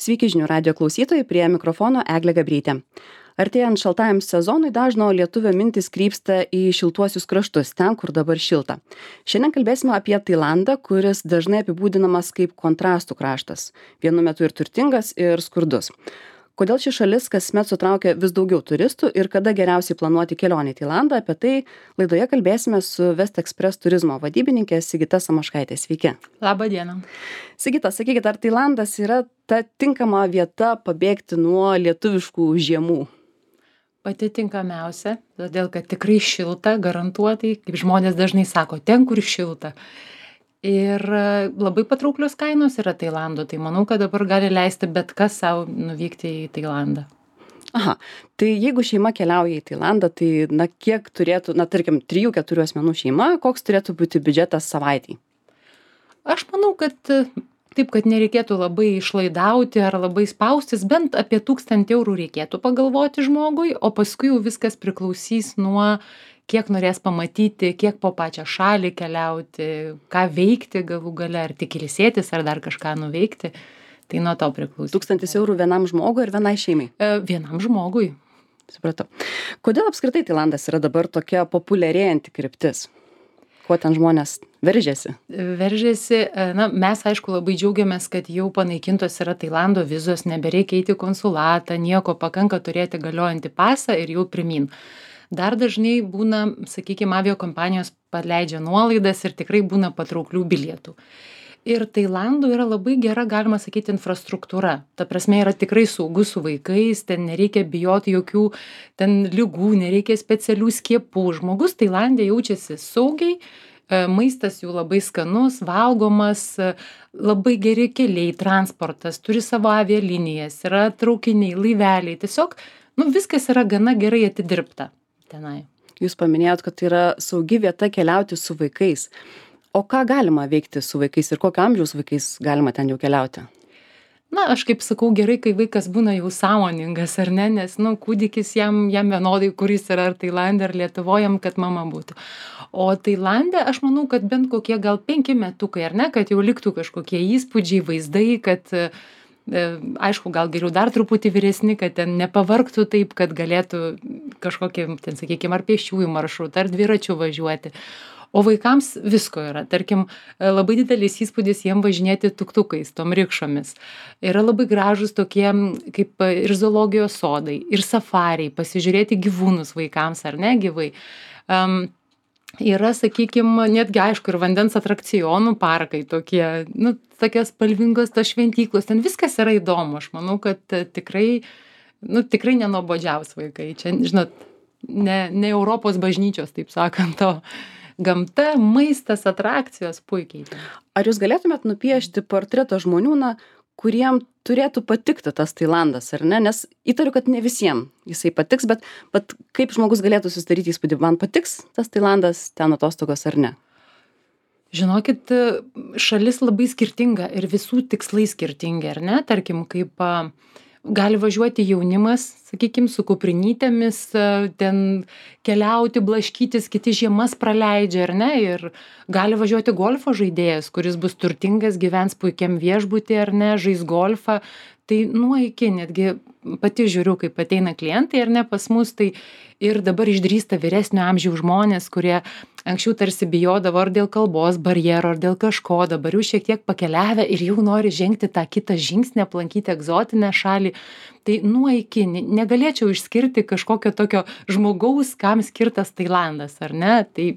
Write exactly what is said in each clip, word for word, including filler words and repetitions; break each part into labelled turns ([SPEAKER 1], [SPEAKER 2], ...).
[SPEAKER 1] Sveiki žinių radio klausytojai, prie mikrofono Eglė Gabrytė. Artėjant šaltajam sezonui dažno lietuvio mintis krypsta į šiltuosius kraštus, ten, kur dabar šilta. Šiandien kalbėsime apie Tailandą, kuris dažnai apibūdinamas kaip kontrastų kraštas. Vienu metu ir turtingas, ir skurdus. Kodėl ši šalis kasmet sutraukia vis daugiau turistų ir kada geriausiai planuoti kelionę į Tailandą, apie tai laidoje kalbėsime su West Express turizmo vadybininkė Sigita Samoškaitė. Sveiki.
[SPEAKER 2] Labą dieną.
[SPEAKER 1] Sigita, sakykit, ar Tailandas yra ta tinkama vieta pabėgti nuo lietuviškų žiemų?
[SPEAKER 2] Pati tinkamiausia, todėl kad tikrai šilta, garantuotai, kaip žmonės dažnai sako, ten, kur šilta. Ir labai patrauklios kainos yra Tailando, tai manau, kad dabar gali leisti bet kas savo nuvykti į Tailandą.
[SPEAKER 1] Aha, tai jeigu šeima keliauja į Tailandą, tai na kiek turėtų, na tarkim, trijų keturių asmenų šeima, koks turėtų būti biudžetas savaitei?
[SPEAKER 2] Aš manau, kad taip, kad nereikėtų labai išlaidauti ar labai spaustis, bent apie tūkstantį eurų reikėtų pagalvoti žmogui, o paskui jau viskas priklausys nuo kiek norės pamatyti, kiek po pačią šalį keliauti, ką veikti galų gale, ar tik ilsėtis, ar dar kažką nuveikti. Tai nuo to priklauso.
[SPEAKER 1] Tūkstantis eurų vienam žmogui ir vienai šeimai?
[SPEAKER 2] E, vienam žmogui.
[SPEAKER 1] Supratau. Kodėl apskritai Tailandas yra dabar tokia populiarėjanti kryptis? Kuo ten žmonės veržiasi?
[SPEAKER 2] Veržiasi, na, mes aišku labai džiaugiamės, kad jau panaikintos yra Tailando vizos, nebereikia eiti į konsulatą, nieko, pakanka turėti galiojantį pasą ir jau pirmyn. Dar dažnai būna, sakykime, aviakompanijos paleidžia nuolaidas ir tikrai būna patrauklių bilietų. Ir Tailandų yra labai gera, galima sakyti, infrastruktūra. Ta prasme, yra tikrai saugu su vaikais, ten nereikia bijoti jokių ten ligų, nereikia specialių skiepų. Žmogus Tailandė jaučiasi saugiai, maistas jų labai skanus, valgomas, labai geri keliai, transportas, turi savo avialinijas, yra traukiniai, laiveliai. Tiesiog, nu, viskas yra gana gerai atidirbta. Tenai.
[SPEAKER 1] Jūs paminėjot, kad tai yra saugi vieta keliauti su vaikais. O ką galima veikti su vaikais ir kokio amžiaus vaikais galima ten jau keliauti?
[SPEAKER 2] Na, aš kaip sakau, gerai, kai vaikas būna jau sąmoningas, ar ne, nes, nu, kūdikis jam, jam vienodai, kuris yra ar Tailande, ar Lietuvojam, kad mama būtų. O Tailande, aš manau, kad bent kokie gal penki metukai, ar ne, kad jau liktų kažkokie įspūdžiai, vaizdai, kad aišku, gal geriau dar truputį vyresni, kad ten nepavargtų taip, kad galėtų kažkokį, ten, sakykime, ar pėsčiųjų maršrutą, ar dviračių važiuoti. O vaikams visko yra. Tarkim, labai didelis įspūdis jiem važinėti tuktukais, tom rikšomis. Yra labai gražus tokie, kaip ir zoologijos sodai, ir safariai, pasižiūrėti gyvūnus vaikams, ar ne gyvai. Um, Yra, sakykime, netgi aišku ir vandens atrakcionų parkai tokie, nu, tokios spalvingos tos šventyklos, ten viskas yra įdomu. Aš manau, kad tikrai, nu, tikrai nenuobodžiaus vaikai. Čia, žinot, ne, ne Europos bažnyčios, taip sakant, o gamta, maistas, atrakcijos puikiai.
[SPEAKER 1] Ar jūs galėtumėt nupiešti portretą žmonių, na, kuriem turėtų patikti tas Tailandas, ar ne? Nes įtariu, kad ne visiems jisai patiks, bet, bet kaip žmogus galėtų susidaryti įspūdį, man patiks tas Tailandas, ten atostogos ar ne?
[SPEAKER 2] Žinokit, šalis labai skirtinga ir visų tikslai skirtingi, ar ne? Tarkim, kaip gali važiuoti jaunimas, sakykime, su kuprinytėmis, ten keliauti, blaškytis, kiti žiemas praleidžia, ar ne? Ir gali važiuoti golfo žaidėjas, kuris bus turtingas, gyvens puikiam viešbutį, ar ne, žais golfą. Tai nuo iki, netgi pati žiūriu, kaip ateina klientai, ar ne, pas mus, tai ir dabar išdrįsta vyresnio amžiaus žmonės, kurie anksčiau tarsi bijodavo ar dėl kalbos barjero, ar dėl kažko, dabar jau šiek tiek pakeliavę ir jau nori žengti tą kitą žingsnį, aplankyti egzotinę šalį. Tai nuo iki negalėčiau išskirti kažkokio tokio žmogaus, kam skirtas Tailandas, ar ne? Tai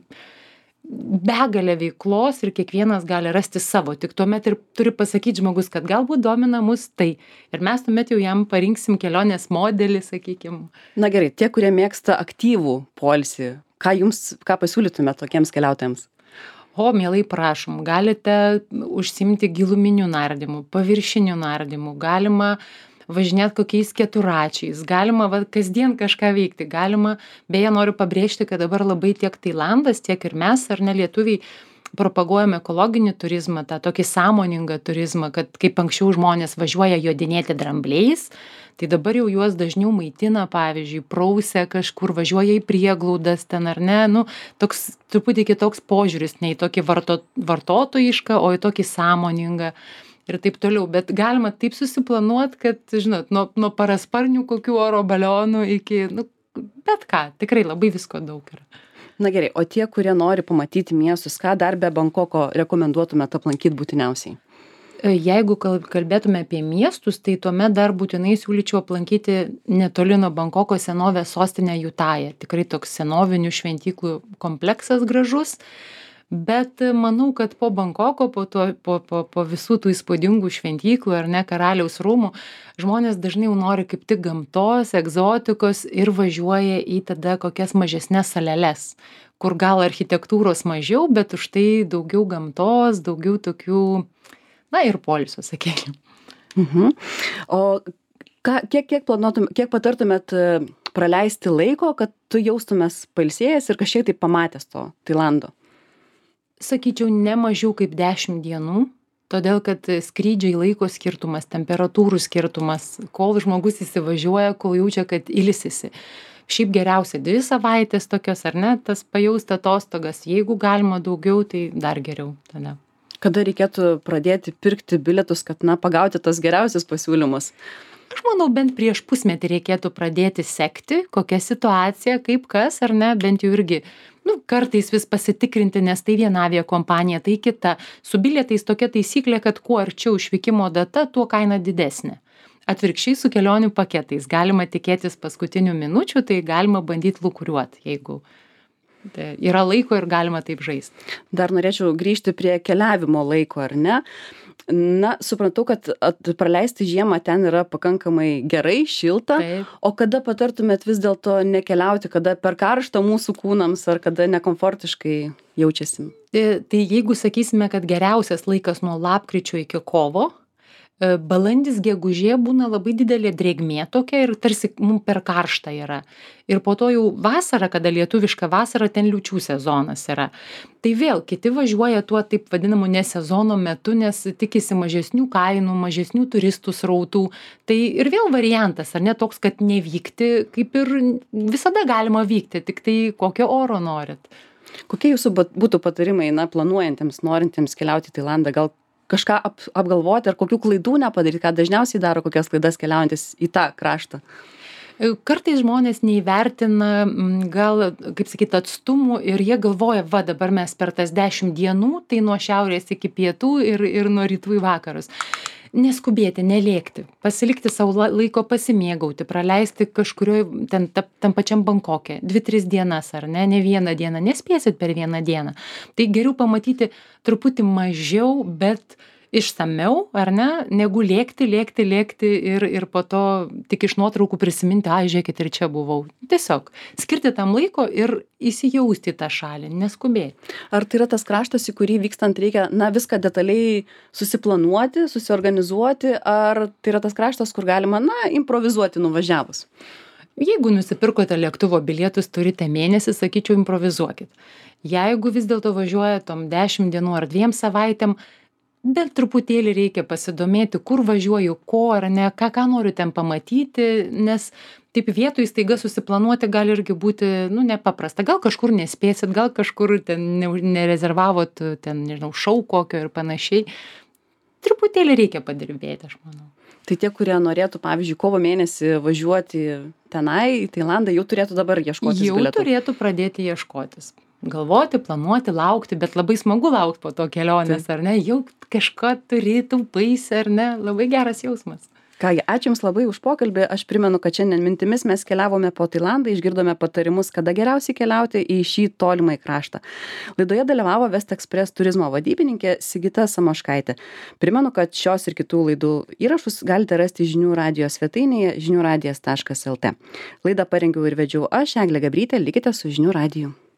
[SPEAKER 2] begalė veiklos ir kiekvienas gali rasti savo. Tik tuomet ir turi pasakyti žmogus, kad galbūt domina mus tai. Ir mes tuomet jau jam parinksim kelionės modelį, sakykim.
[SPEAKER 1] Na gerai, tie, kurie mėgsta aktyvų poilsį, ką jums, ką pasiūlytumėte tokiems keliautojams?
[SPEAKER 2] O, mielai prašom, galite užsimti giluminių nardymų, paviršinių nardymų, galima važinėt kokiais keturačiais, galima va, kasdien kažką veikti, galima, beje, noriu pabrėžti, kad dabar labai tiek Tailandas, tiek ir mes, ar ne lietuviai, propaguojam ekologinį turizmą, tą tokį sąmoningą turizmą, kad kaip anksčiau žmonės važiuoja jodinėti drambliais, tai dabar jau juos dažniau maitina, pavyzdžiui, prausia kažkur, važiuoja į prieglaudas ten ar ne, nu, toks truputį kitoks požiūris, ne į tokį varto, vartotojišką, o į tokį sąmoningą. ir taip toliau. Bet galima taip susiplanuot, kad, žinot, nuo, nuo parasparnių kokių oro balionų iki, nu, bet ką, tikrai labai visko daug yra.
[SPEAKER 1] Na gerai, o tie, kurie nori pamatyti miestus, ką dar be Bankoko rekomenduotumėte aplankyti būtiniausiai?
[SPEAKER 2] Jeigu kalbėtume apie miestus, tai tuomet dar būtinai siūlyčiau aplankyti netoli nuo Bankoko senovės sostinę Jutają. Tikrai toks senovinių šventyklų kompleksas gražus, bet manau, kad po Bankoko, po, to, po, po, po visų tų įspūdingų šventyklų ar ne karaliaus rūmų, žmonės dažnai jau nori kaip tik gamtos, egzotikos ir važiuoja į tada kokias mažesnes saleles, kur gal architektūros mažiau, bet už tai daugiau gamtos, daugiau tokių, na ir poilsio, sakykime.
[SPEAKER 1] Mhm. O ką, kiek, kiek, planuotum, kiek patartumėt praleisti laiko, kad tu jaustumės pailsėjęs ir kažkiek tai pamatęs to Tailando?
[SPEAKER 2] Sakyčiau, ne mažiau kaip dešimt dienų, todėl kad skrydžiai laiko skirtumas, temperatūrų skirtumas, kol žmogus įsivažiuoja, kol jaučia, kad ilsisi. Šiaip geriausia dvi savaitės tokios, ar ne, tas pajausti atostogas. Jeigu galima daugiau, tai dar geriau tada.
[SPEAKER 1] Kada reikėtų pradėti pirkti bilietus, kad, na, pagauti tos geriausius pasiūlymus?
[SPEAKER 2] Aš manau, bent prieš pusmetį reikėtų pradėti sekti, kokia situacija, kaip kas, ar ne, bent jau irgi, nu, kartais vis pasitikrinti, nes tai viena aviakompanija, tai kita. Su bilietais tokia taisyklė, kad kuo arčiau išvykimo data, tuo kaina didesnė. Atvirkščiai su kelionių paketais galima tikėtis paskutinių minučių, tai galima bandyti lūkuriuoti, jeigu yra laiko ir galima taip žaisti.
[SPEAKER 1] Dar norėčiau grįžti prie keliavimo laiko, ar ne? Na, suprantu, kad at, praleisti žiemą ten yra pakankamai gerai, šilta.
[SPEAKER 2] Taip.
[SPEAKER 1] O kada patartumėt vis dėlto nekeliauti, kada per karštą mūsų kūnams ar kada nekomfortiškai jaučiasi?
[SPEAKER 2] Tai, tai jeigu sakysime, kad geriausias laikas nuo lapkričio iki kovo, balandis, gegužė būna labai didelė drėgmė tokia ir tarsi mums per karšta yra. Ir po to jau vasara, kada lietuviška vasara, ten liūčių sezonas yra. Tai vėl kiti važiuoja tuo taip vadinamu nesezono metu, nes tikisi mažesnių kainų, mažesnių turistų srautų. Tai ir vėl variantas, ar ne toks, kad nevykti, kaip ir visada galima vykti, tik tai kokio oro norit.
[SPEAKER 1] Kokie jūsų būtų patarimai, na, planuojantiems, norintiems keliauti į Tailandą, gal kažką ap, apgalvoti ar kokių klaidų nepadaryti, ką dažniausiai daro kokias klaidas keliaujantis į tą kraštą?
[SPEAKER 2] Kartais žmonės neįvertina gal, kaip sakyti, atstumų ir jie galvoja, va, dabar mes per tas dešimt dienų, tai nuo šiaurės iki pietų ir, ir nuo rytų į vakarus. Neskubėti, nelėkti, pasilikti savo laiko pasimėgauti, praleisti kažkurioje ten tam pačiam Bankoke, dvi, tris dienas ar ne, ne vieną dieną, nespėsit per vieną dieną. Tai geriau pamatyti truputį mažiau, bet išsamiau, ar ne, negu lėkti, lėkti, lėkti ir, ir po to tik iš nuotraukų prisiminti, ai, žiūrėkit, ir čia buvau. Tiesiog skirti tam laiko ir įsijausti į tą šalį, neskubėti.
[SPEAKER 1] Ar tai yra tas kraštas, į kurį vykstant reikia, na, viską detaliai susiplanuoti, susiorganizuoti, ar tai yra tas kraštas, kur galima, na, improvizuoti nuvažiavus?
[SPEAKER 2] Jeigu nusipirkote lėktuvo bilietus, turite mėnesį, sakyčiau, improvizuokit. Jeigu vis dėlto važiuoja tom dešimt dienų ar dviem savaitėm, bet truputėlį reikia pasidomėti, kur važiuoju, ko ar ne, ką, ką noriu ten pamatyti, nes taip vietoj staiga susiplanuoti gali irgi būti, nu, nepaprasta. Gal kažkur nespėsit, gal kažkur ten ne, nerezervavot, ten, nežinau, šou kokio ir panašiai. Truputėlį reikia padirbėti, aš manau.
[SPEAKER 1] Tai tie, kurie norėtų, pavyzdžiui, kovo mėnesį važiuoti tenai, į Tailandą, jau turėtų dabar ieškotis bilietų.
[SPEAKER 2] Jau turėtų pradėti ieškotis. Galvoti, planuoti, laukti, bet labai smagu laukti po to kelionės, ar ne? Jau kažką turi, taupaisi, ar ne? Labai geras jausmas.
[SPEAKER 1] Kągi, ačiū Jums labai už pokalbį. Aš primenu, kad šiandien mintimis mes keliavome po Tailandą, išgirdome patarimus, kada geriausiai keliauti į šį tolimą kraštą. Laidoje dalyvavo West Express turizmo vadybininkė Sigita Samoškaitė. Primenu, kad šios ir kitų laidų įrašus galite rasti žinių radijo svetainėje žinių radijas taškas lt. Laidą parengiau ir vedžiau aš, Eglė Gabrytė, likite su žinių radiju.